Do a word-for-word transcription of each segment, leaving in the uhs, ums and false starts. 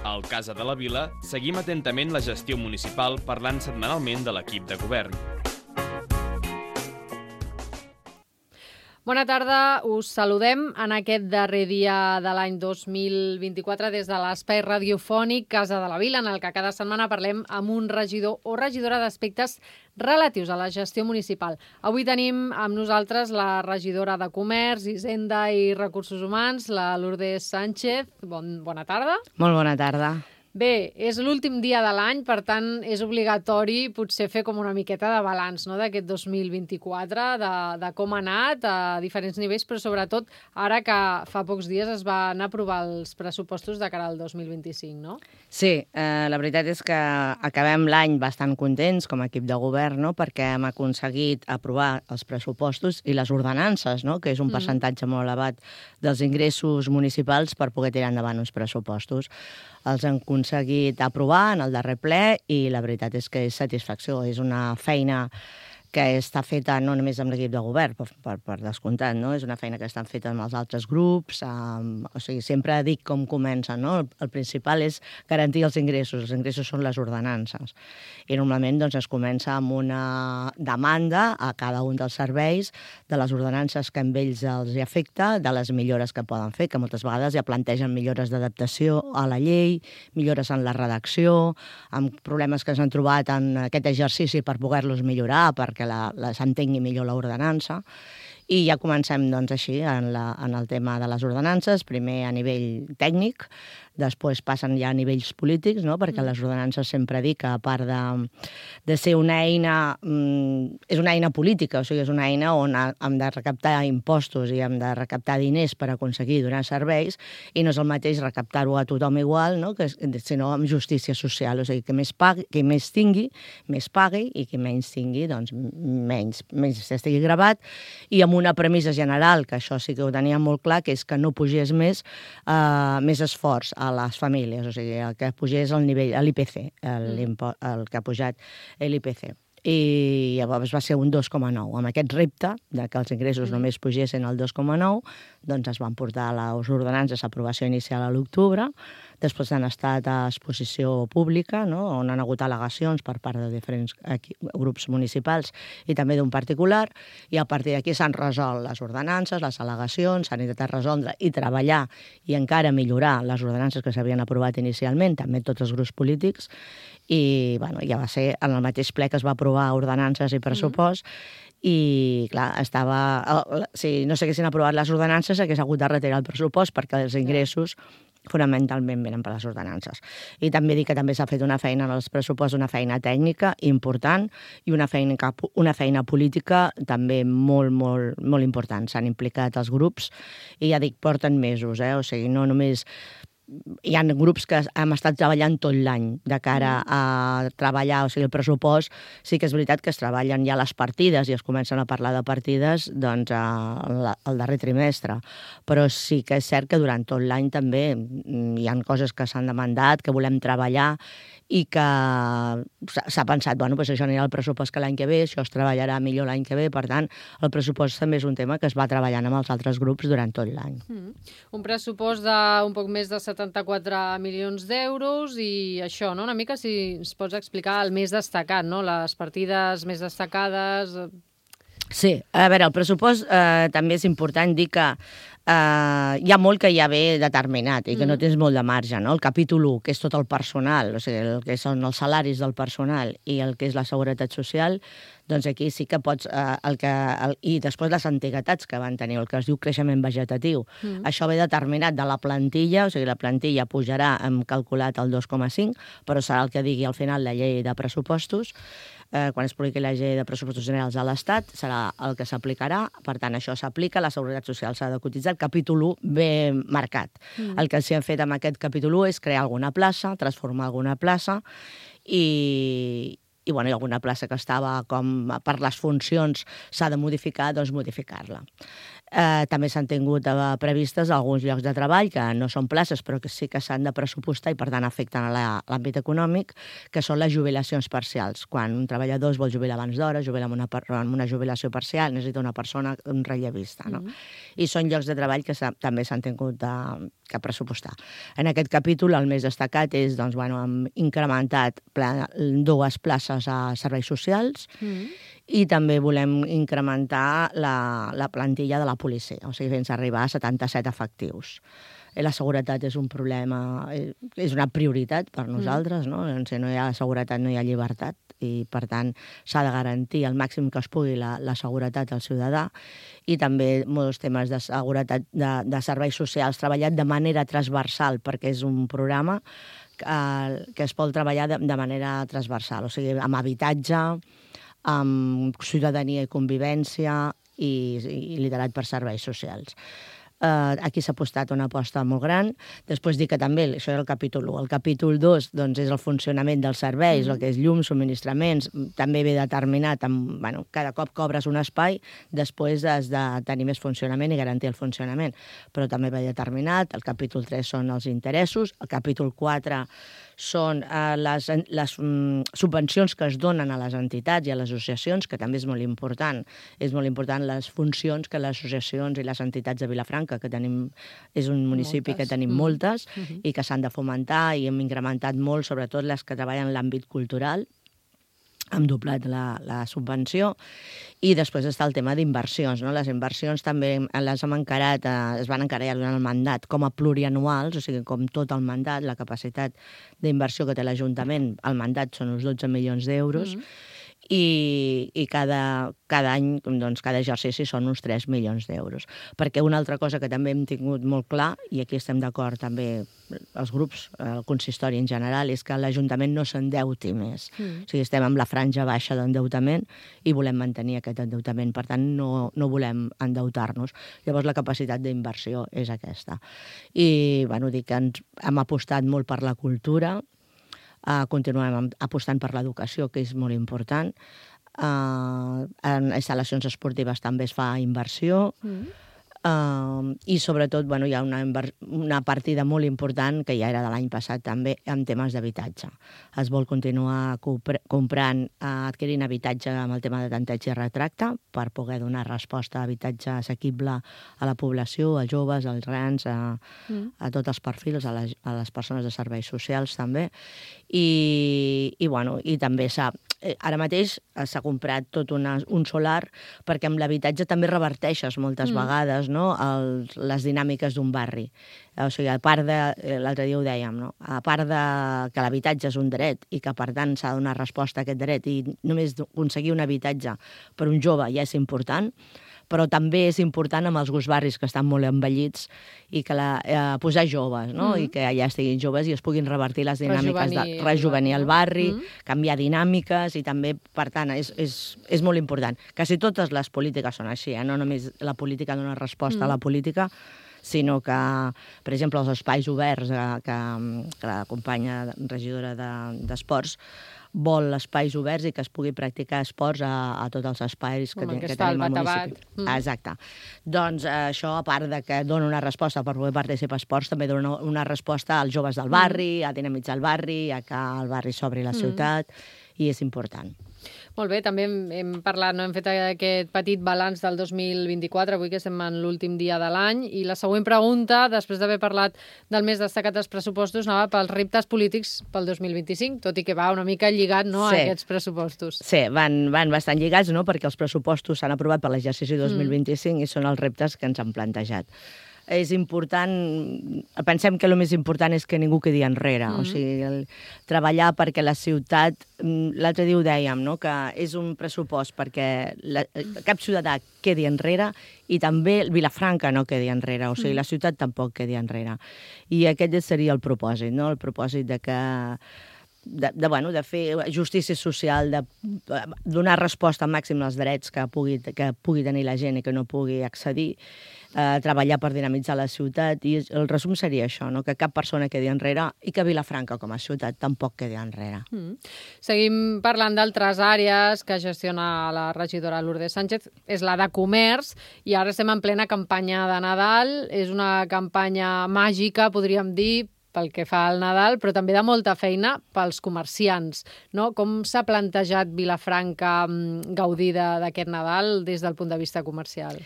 Al Casa de la Vila seguim atentament la gestió municipal parlant setmanalment de l'equip de govern. Bona tarda, us saludem en aquest darrer dia de l'any dos mil vint-i-quatre des de l'espai radiofònic Casa de la Vila, en el que cada setmana parlem amb un regidor o regidora d'aspectes relatius a la gestió municipal. Avui tenim amb nosaltres la regidora de Comerç, Hisenda i Recursos Humans, la Lourdes Sánchez. Bon, bona tarda. Molt bona tarda. Bé, és l'últim dia de l'any, per tant, és obligatori potser fer com una miqueta de balanç, no?, d'aquest dos mil vint-i-quatre, de, de com ha anat a diferents nivells, però sobretot ara que fa pocs dies es van aprovar els pressupostos de cara al dos mil vint-i-cinc, no? Sí, eh, la veritat és que acabem l'any bastant contents com a equip de govern, no?, perquè hem aconseguit aprovar els pressupostos i les ordenances, no?, que és un mm. percentatge molt elevat dels ingressos municipals per poder tirar endavant uns pressupostos. Els han aconseguit aprovar en el darrer ple i la veritat és que és satisfacció. És una feina que està feta no només amb l'equip de govern, per, per, per descomptat, no? És una feina que estan feta amb els altres grups. Um, o sigui, sempre dic com comença, no? El, el principal és garantir els ingressos. Els ingressos són les ordenances. I normalment doncs, es comença amb una demanda a cada un dels serveis de les ordenances que amb ells els hi afecta, de les millores que poden fer, que moltes vegades ja plantegen millores d'adaptació a la llei, millores en la redacció, amb problemes que s'han trobat en aquest exercici per poder-los millorar, perquè la, la s'entengui millor l'ordenança. I ja comencem doncs, així en, la, en el tema de les ordenances, primer a nivell tècnic, després passen ja a nivells polítics, no? Perquè les ordenances sempre dic que a part de, de ser una eina, mm, és una eina política, o sigui, és una eina on hem de recaptar impostos i hem de recaptar diners per aconseguir donar serveis, i no és el mateix recaptar-ho a tothom igual, no? Que, sinó amb justícia social, o sigui, que més pagui, que més tingui, més pagui, i que menys tingui, doncs menys, menys estigui gravat, i amb una premissa general, que això sí que ho tenia molt clar, que és que no pugés més, eh, més esforç a les famílies, o sigui, el que pugés el nivell, l'I P C, el, el que ha pujat l'I P C. I llavors va ser un dos coma nou. Amb aquest repte de que els ingressos només pugessin al dos coma nou, doncs es van portar les ordenances a aprovació inicial a l'octubre, després han estat a exposició pública, no?, on han hagut al·legacions per part de diferents grups municipals i també d'un particular, i a partir d'aquí s'han resolt les ordenances, les al·legacions, s'han intentat resoldre i treballar i encara millorar les ordenances que s'havien aprovat inicialment, també tots els grups polítics, i bueno, ja va ser en el mateix ple que es va aprovar ordenances i pressupost, mm. i clar, estava... Si no s'haguessin aprovat les ordenances, hagués hagut de retirar el pressupost perquè els ingressos fonamentalment venen per les ordenances. I també dic que també s'ha fet una feina en els pressupostos, una feina tècnica important i una feina, una feina política també molt, molt, molt important. S'han implicat els grups i ja dic, porten mesos, eh? O sigui, no només... Hi ha grups que hem estat treballant tot l'any de cara a treballar, o sigui, el pressupost. Sí que és veritat que es treballen ja les partides i es comencen a parlar de partides doncs al darrer trimestre, però sí que és cert que durant tot l'any també hi ha coses que s'han demandat, que volem treballar i que s'ha pensat, bueno, doncs això anirà al pressupost que l'any que ve, això es treballarà millor l'any que ve, per tant, el pressupost també és un tema que es va treballant amb els altres grups durant tot l'any. Mm. Un pressupost d'un poc més de setanta-quatre milions d'euros i això, no? Una mica si ens pots explicar el més destacat, no? Les partides més destacades... Sí, a veure, el pressupost eh, també és important dir que Uh, hi ha molt que ja ve determinat i que mm. no tens molt de marge, no? El capítol u, que és tot el personal, o sigui, el que són els salaris del personal i el que és la seguretat social, doncs aquí sí que pots... Uh, el que, el, i després les antiguitats que van tenir, el que es diu creixement vegetatiu. Mm. Això ve determinat de la plantilla, o sigui, la plantilla pujarà, hem calculat el dos coma cinc, però serà el que digui al final la llei de pressupostos. Eh, quan es publiqui la llei de pressupostos generals de l'Estat, serà el que s'aplicarà, per tant, això s'aplica, la seguretat social s'ha de cotitzar, el capítol u ve marcat. Mm. El que s'hi ha fet amb aquest capítol u és crear alguna plaça, transformar alguna plaça, i, i bueno, hi ha alguna plaça que estava com per les funcions s'ha de modificar, doncs modificar-la. Eh, també s'han tingut eh, previstes alguns llocs de treball que no són places, però que sí que s'han de pressupostar i, per tant, afecten a la- l'àmbit econòmic, que són les jubilacions parcials. Quan un treballador es vol jubilar abans d'hora, jubila amb una, per- amb una jubilació parcial, necessita una persona, un rellevista, no? Mm-hmm. I són llocs de treball que s'ha- també s'han tingut de, que pressupostar. En aquest capítol, el més destacat és, doncs, bueno, hem incrementat pla, dues places a serveis socials, Mm. i també volem incrementar la, la plantilla de la policia, o sigui, fins a arribar a setanta-set efectius. I la seguretat és un problema, eh, és una prioritat per nosaltres, no? Si no hi ha seguretat no hi ha llibertat, i per tant s'ha de garantir al màxim que es pugui la, la seguretat al ciutadà, i també molts temes de seguretat de, de serveis socials treballat de manera transversal, perquè és un programa que, que es pot treballar de, de manera transversal, o sigui, amb habitatge, amb ciutadania i convivència i, i liderat per serveis socials. Uh, aquí s'ha apostat una aposta molt gran. Després dic que també, això era el capítol u. El capítol dos, doncs, és el funcionament dels serveis, mm-hmm. el que és llum, subministraments, també ve determinat, amb, bueno, cada cop cobres un espai, després has de tenir més funcionament i garantir el funcionament. Però també ve determinat, el capítol tres són els interessos, el capítol quatre són eh, les, les mm, subvencions que es donen a les entitats i a les associacions, que també és molt important. És molt important les funcions que les associacions i les entitats de Vilafranca, que tenim, és un municipi moltes. que tenim mm. moltes, mm-hmm. i que s'han de fomentar, i hem incrementat molt, sobretot les que treballen en l'àmbit cultural, hem doblat la, la subvenció, i després està el tema d'inversions, no? Les inversions també les hem encarat, eh, es van encarar durant el mandat com a plurianuals, o sigui, com tot el mandat, la capacitat d'inversió que té l'Ajuntament, el mandat són uns dotze milions d'euros, mm-hmm. i, i cada, cada any, doncs, cada exercici són uns tres milions d'euros. Perquè una altra cosa que també hem tingut molt clar, i aquí estem d'acord també els grups, el consistori en general, és que l'Ajuntament no s'endeuti més. Mm. O sigui, estem amb la franja baixa d'endeutament i volem mantenir aquest endeutament. Per tant, no, no volem endeutar-nos. Llavors, la capacitat d'inversió és aquesta. I, bueno, dic que ens hem apostat molt per la cultura, Uh, continuem apostant per l'educació, que és molt important. Uh, en instal·lacions esportives també es fa inversió. Mm. Uh, I sobretot, bueno, hi ha una, una partida molt important, que ja era de l'any passat també, en temes d'habitatge. Es vol continuar comprant, uh, adquirint habitatge amb el tema de tanteig i retracte, per poder donar resposta a habitatge assequible a la població, als joves, als grans, a, mm. a tots els perfils, a les, a les persones de serveis socials també. I, i, bueno, i també s'ha... Ara mateix s'ha comprat tot una, un solar, perquè amb l'habitatge també reverteixes moltes mm. vegades, no? El, les dinàmiques d'un barri. O sigui, a part de... L'altre dia ho dèiem, no? A part de que l'habitatge és un dret i que, per tant, s'ha de donar resposta a aquest dret, i només aconseguir un habitatge per un jove ja és important, però també és important amb els barris que estan molt envellits i que la, eh, posar joves, no? Mm-hmm. I que allà estiguin joves i es puguin revertir les dinàmiques de rejuvenir el barri, mm-hmm. canviar dinàmiques, i també, per tant, és, és, és molt important. Quasi totes les polítiques són així, eh? No només la política dona resposta mm. a la política, sinó que, per exemple, els espais oberts eh, que, que la companya regidora d'Esports de, vol espais oberts i que es pugui practicar esports a, a tots els espais que, ten, que tenim al municipi. Mm. Exacte. Doncs eh, això, a part de que dona una resposta per poder participar a esports, també dona una resposta als joves del barri, mm. a dinamitzar el barri, a que el barri s'obri la ciutat, mm. i és important. Molt bé, també hem, hem parlat, no? Hem fet aquest petit balanç del dos mil vint-i-quatre, avui que estem en l'últim dia de l'any, i la següent pregunta, després d'haver parlat del més destacat dels pressupostos, anava pels reptes polítics pel dos mil vint-i-cinc, tot i que va una mica lligat, no, sí. a aquests pressupostos. Sí, van, van bastant lligats, no?, perquè els pressupostos s'han aprovat per l'exercici dos mil vint-i-cinc mm. i són els reptes que ens han plantejat. És important, pensem que el més important és que ningú quedi enrere, mm-hmm. o sigui, el, treballar perquè la ciutat, l'altre dia ho dèiem, no?, que és un pressupost perquè la, cap ciutadà quedi enrere i també Vilafranca no quedi enrere, o sigui, mm. la ciutat tampoc quedi enrere. I aquest seria el propòsit, no?, el propòsit de que De, de, bueno, de fer justícia social, de donar resposta al màxim als drets que pugui, que pugui tenir la gent i que no pugui accedir, eh, treballar per dinamitzar la ciutat, i el resum seria això, no? Que cap persona quedi enrere i que Vilafranca com a ciutat tampoc quedi enrere. Mm. Seguim parlant d'altres àrees que gestiona la regidora Lourdes Sánchez, és la de comerç, i ara estem en plena campanya de Nadal, és una campanya màgica, podríem dir, pel que fa al Nadal, però també de molta feina pels comerciants, no? Com s'ha plantejat Vilafranca gaudir d'aquest Nadal des del punt de vista comercial?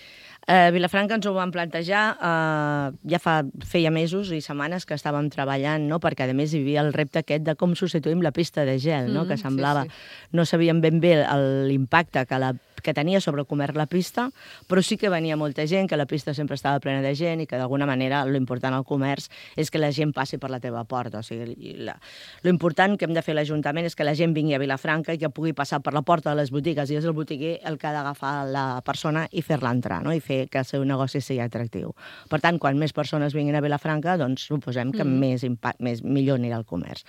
Eh, Vilafranca ens ho vam plantejar, eh, ja fa, feia mesos i setmanes que estàvem treballant, no? Perquè a més hi havia el repte aquest de com substituïm la pista de gel, no? Mm, que semblava, sí, sí. No sabíem ben bé l'impacte que la que tenia sobre el comerç la pista, però sí que venia molta gent, que la pista sempre estava plena de gent i que d'alguna manera l'important al comerç és que la gent passi per la teva porta. O sigui, l'important que hem de fer l'Ajuntament és que la gent vingui a Vilafranca i que pugui passar per la porta de les botigues, i és el botiguer el que ha d'agafar la persona i fer-la entrar, no? I fer que el seu negoci sigui atractiu. Per tant, quan més persones vinguin a Vilafranca, doncs suposem que mm. més, impact, més millor anirà el comerç.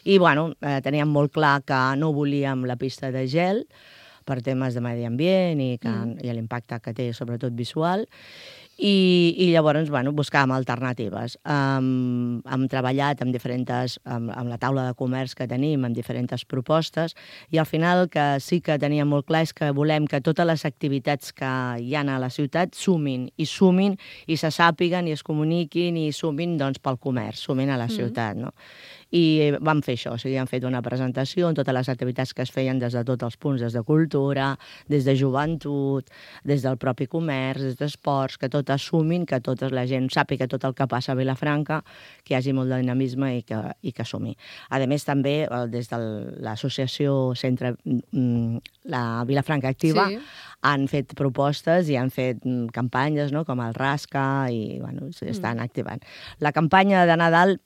I, bueno, eh, teníem molt clar que no volíem la pista de gel, per temes de medi ambient i, que, mm. i l'impacte que té, sobretot visual, i, i llavors bueno, buscàvem alternatives. Um, hem treballat amb diferents, amb, amb la taula de comerç que tenim, amb diferents propostes, i al final el que sí que teníem molt clar és que volem que totes les activitats que hi ha a la ciutat sumin, i sumin, i se sàpiguen, i es comuniquin, i sumin doncs, pel comerç, sumin a la ciutat, mm. no? I vam fer això, o sigui, hem fet una presentació en totes les activitats que es feien des de tots els punts, des de cultura, des de joventut, des del propi comerç, des d'esports, que tot assumin, que tota la gent sàpiga tot el que passa a Vilafranca, que hi hagi molt de dinamisme i que, i que assumi. A més, també, des de l'associació Centre la Vilafranca Activa, sí. han fet propostes i han fet campanyes, no?, com el Rasca, i bueno, estan mm. activant. La campanya de Nadal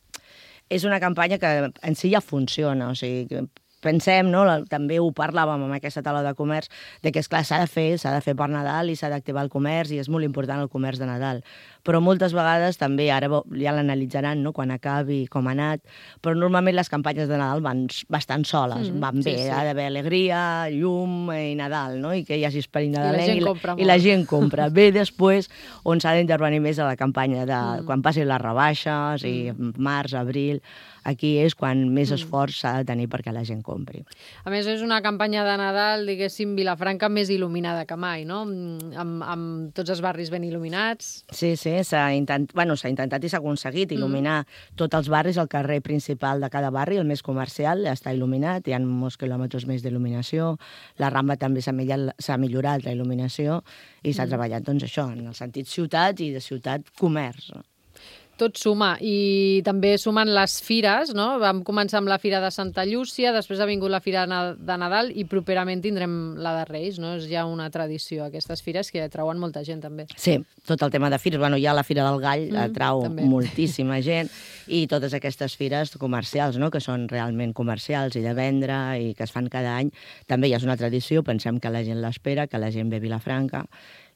és una campanya que en si ja funciona, o sigui, que pensem, no? També ho parlàvem amb aquesta taula de comerç, de que, esclar, s'ha de fer, s'ha de fer per Nadal i s'ha d'activar el comerç, i és molt important el comerç de Nadal. Però moltes vegades també, ara ja l'analitzaran, no?, quan acabi, com ha anat, però normalment les campanyes de Nadal van bastant soles, mm, van bé, sí, sí. Ha d'haver alegria, llum i Nadal, no?, i que hi hagi esperit nadalenc, i, i, i la gent compra. Bé, després, on s'ha d'intervenir més a la campanya de mm. quan passin les rebaixes, i mm. març, abril, aquí és quan més esforç s'ha de tenir perquè la gent compri. A més, és una campanya de Nadal, diguéssim, Vilafranca més il·luminada que mai, no? Amb, amb tots els barris ben il·luminats. Sí, sí, s'ha intent... bueno, s'ha intentat i s'ha aconseguit il·luminar mm. tots els barris, el carrer principal de cada barri, el més comercial, està il·luminat, hi ha molts quilòmetres més d'il·luminació, la Rambla també s'ha millorat la il·luminació, i s'ha mm. treballat, doncs, això, en el sentit ciutat i de ciutat-comerç. Tot suma, i també sumen les fires, no? Vam començar amb la Fira de Santa Llúcia, després ha vingut la Fira de Nadal i properament tindrem la de Reis, no? És ja una tradició, aquestes fires que atrauen molta gent, també. Sí, tot el tema de fires. Bueno, ja la Fira del Gall mm, atrau també. moltíssima gent, i totes aquestes fires comercials, no?, que són realment comercials i de vendre i que es fan cada any, també ja és una tradició, pensem que la gent l'espera, que la gent ve a Vilafranca,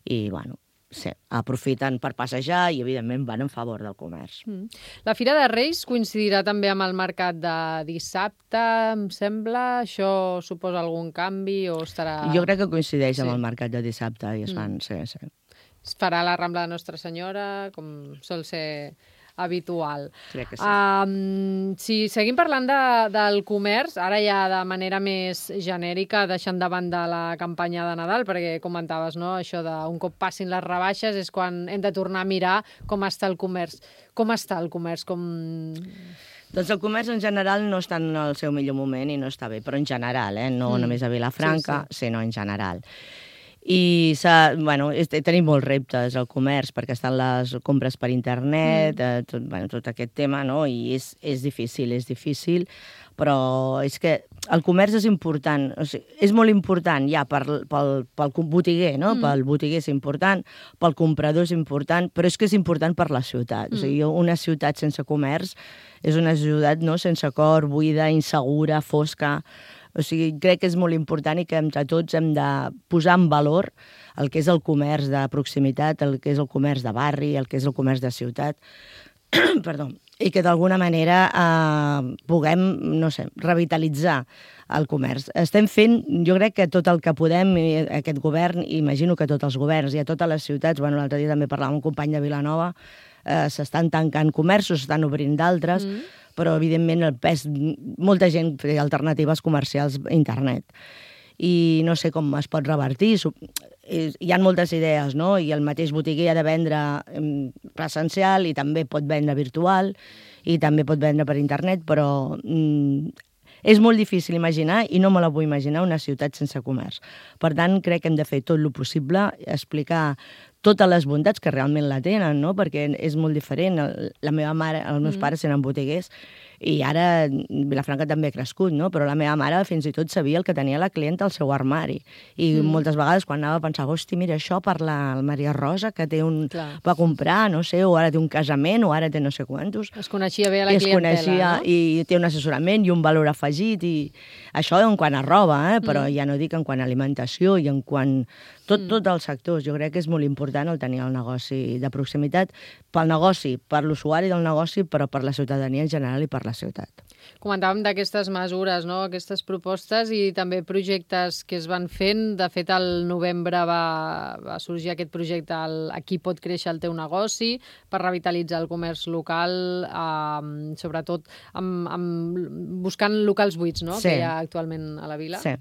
i, bueno, sí, aprofiten per passejar i, evidentment, van en favor del comerç. Mm. La Fira de Reis coincidirà també amb el mercat de dissabte, em sembla? Això suposa algun canvi o estarà... Jo crec que coincideix sí. amb el mercat de dissabte i es fan, mm. sí, sí. Es farà la Rambla de Nostra Senyora, com sol ser habitual. Crec que sí. Um, si seguim parlant de, del comerç, ara ja de manera més genèrica, deixant de banda la campanya de Nadal, perquè comentaves, no?, això de un cop passin les rebaixes és quan hem de tornar a mirar com està el comerç. Com està el comerç? Com... Doncs el comerç en general no està en el seu millor moment i no està bé, però en general, eh? no mm. només a Vilafranca, sí, sí. sinó en general. I bueno, tenim molts reptes al comerç, perquè estan les compres per internet, mm. eh, tot, bueno, tot aquest tema, no? I és, és difícil, és difícil, però és que el comerç és important, o sigui, és molt important ja pel, pel, pel botiguer, no? Mm. Pel botiguer és important, pel comprador és important, però és que és important per la ciutat. Mm. O sigui, una ciutat sense comerç és una ciutat, no?, sense cor, buida, insegura, fosca. O sigui, crec que és molt important i que entre tots hem de posar en valor el que és el comerç de proximitat, el que és el comerç de barri, el que és el comerç de ciutat, perdó, i que d'alguna manera eh, puguem, no sé, revitalitzar el comerç. Estem fent, jo crec que tot el que podem, aquest govern, imagino que tots els governs i a totes les ciutats, bueno, l'altre dia també parlàvem amb un company de Vilanova, eh, s'estan tancant comerços, s'estan obrint d'altres, mm. però evidentment el pes, molta gent té alternatives comercials a internet. I no sé com es pot revertir. Hi ha moltes idees, no? I el mateix botiguer ha de vendre presencial i també pot vendre virtual i també pot vendre per internet, però mm, és molt difícil imaginar, i no me la vull imaginar, una ciutat sense comerç. Per tant, crec que hem de fer tot el possible, explicar totes les bondats que realment la tenen, no? Perquè és molt diferent. La meva mare, els meus mm. pares eren botiguers, i ara Vilafranca també ha crescut, no? Però la meva mare fins i tot sabia el que tenia la clienta al seu armari. I mm. moltes vegades quan anava a pensar, hosti, mira, això per la Maria Rosa, que té un... Clar. Va comprar, no sé, o ara té un casament, o ara té no sé quantos. Es coneixia bé a la I clientela, coneixia, no? I té un assessorament i un valor afegit, i això en quant a roba, eh? Però mm. ja no dic en quant a alimentació i en quant... Tot, mm. tot els sectors. Jo crec que és molt important el tenir el negoci de proximitat pel negoci, per l'usuari del negoci, però per la ciutadania en general i per la ciutat. Comentàvem d'aquestes mesures, no? Aquestes propostes i també projectes que es van fent. De fet, al novembre va, va sorgir aquest projecte, el Aquí pot créixer el teu negoci, per revitalitzar el comerç local, eh, sobretot amb, amb, buscant locals buits, no? Sí. Que hi ha actualment a la vila. Sí.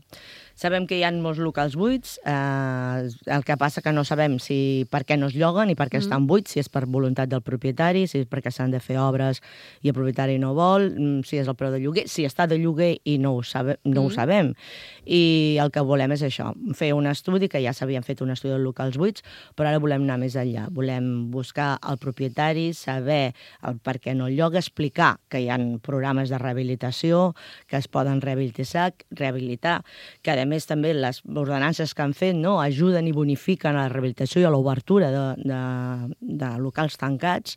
Sabem que hi ha molts locals buits, eh, el que passa que no sabem si per què no es lloguen i per què mm. estan buits, si és per voluntat del propietari, si és perquè s'han de fer obres i el propietari no vol, si és el preu de lloguer, si està de lloguer i no ho, sabe, no mm. ho sabem. I el que volem és això, fer un estudi, que ja s'havien fet un estudi de locals buits, però ara volem anar més enllà. Volem buscar el propietari, saber el per què no el lloga, explicar que hi ha programes de rehabilitació, que es poden rehabilitar, rehabilitar que a més també les ordenances que han fet, no, ajuden i bonifiquen a la rehabilitació i a l'obertura de, de, de locals tancats,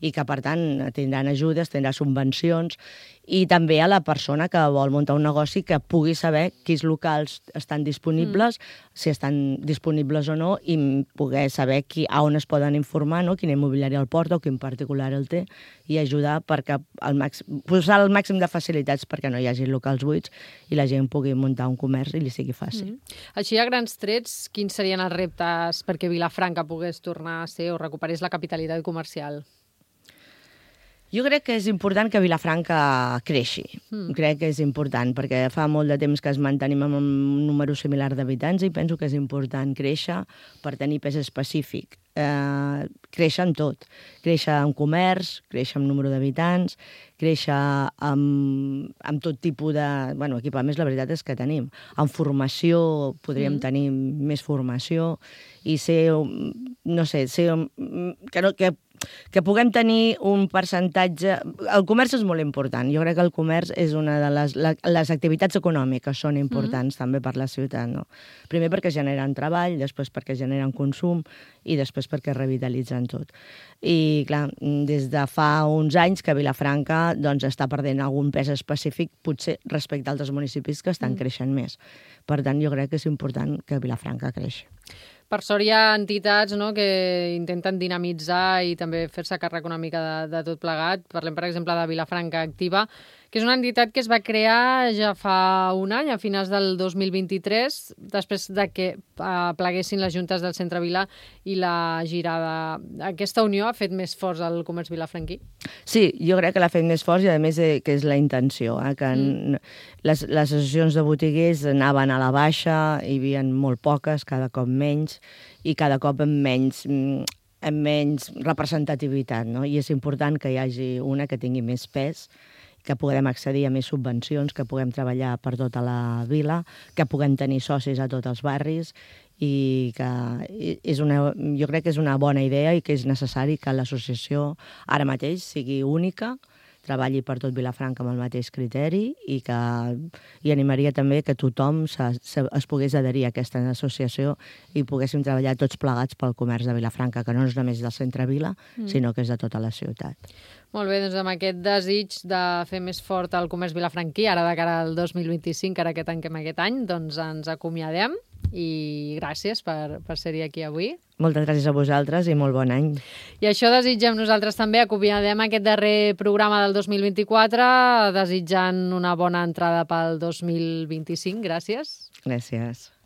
i que, per tant, tindran ajudes, tindran subvencions, i també a la persona que vol muntar un negoci que pugui saber quins locals estan disponibles, mm. si estan disponibles o no, i poder saber qui, a on es poden informar, no? Quin immobiliari el porta o quin particular el té, i ajudar perquè el màxim, posar el màxim de facilitats perquè no hi hagi locals buits i la gent pugui muntar un comerç i li sigui fàcil. Mm. Així, a grans trets, quins serien els reptes perquè Vilafranca pogués tornar a ser o recuperés la capitalitat comercial? Jo crec que és important que Vilafranca creixi. Mm. Crec que és important, perquè fa molt de temps que es mantenim amb un número similar d'habitants i penso que és important créixer per tenir pes específic. Eh, créixer en tot. Créixer en comerç, créixer en número d'habitants, créixer amb, amb tot tipus de... Bueno, equipaments, la veritat és que tenim. En formació podríem mm. tenir més formació i ser, no sé, ser... Que no, que que puguem tenir un percentatge... El comerç és molt important. Jo crec que el comerç és una de les... Les activitats econòmiques són importants mm. també per la ciutat, no? Primer perquè generen treball, després perquè generen consum i després perquè revitalitzen tot. I, clar, des de fa uns anys que Vilafranca doncs, està perdent algun pes específic, potser respecte a altres municipis que estan mm. creixent més. Per tant, jo crec que és important que Vilafranca creixi. Per sort hi ha entitats, no, que intenten dinamitzar i també fer-se càrrec una mica de, de tot plegat. Parlem, per exemple, de Vilafranca Activa, que és una entitat que es va crear ja fa un any, a finals del dos mil vint-i-tres, després de que uh, pleguessin les juntes del Centre Vila i la Girada. Aquesta unió ha fet més forts el comerç vilafranquí? Sí, jo crec que l'ha fet més forts i, a més, eh, que és la intenció, eh, que mm. les, les associacions de botiguers anaven a la baixa, hi havia molt poques, cada cop menys, i cada cop amb menys... amb menys representativitat, no? I és important que hi hagi una que tingui més pes, que puguem accedir a més subvencions, que puguem treballar per tota la vila, que puguem tenir socis a tots els barris, i que és una, jo crec que és una bona idea i que és necessari que l'associació ara mateix sigui única, treballi per tot Vilafranca amb el mateix criteri, i que i animaria també que tothom se, se, es pogués adherir a aquesta associació i poguéssim treballar tots plegats pel comerç de Vilafranca, que no és només del centre Vila, mm. sinó que és de tota la ciutat. Molt bé, doncs amb aquest desig de fer més fort el comerç vilafranquí, ara de cara al dos mil vint-i-cinc, ara que tanquem aquest any, doncs ens acomiadem i gràcies per, per ser-hi aquí avui. Moltes gràcies a vosaltres i molt bon any. I això desitgem nosaltres també. Acomiadem aquest darrer programa del dos mil vint-i-quatre, desitjant una bona entrada pel dos mil vint-i-cinc. Gràcies. Gràcies.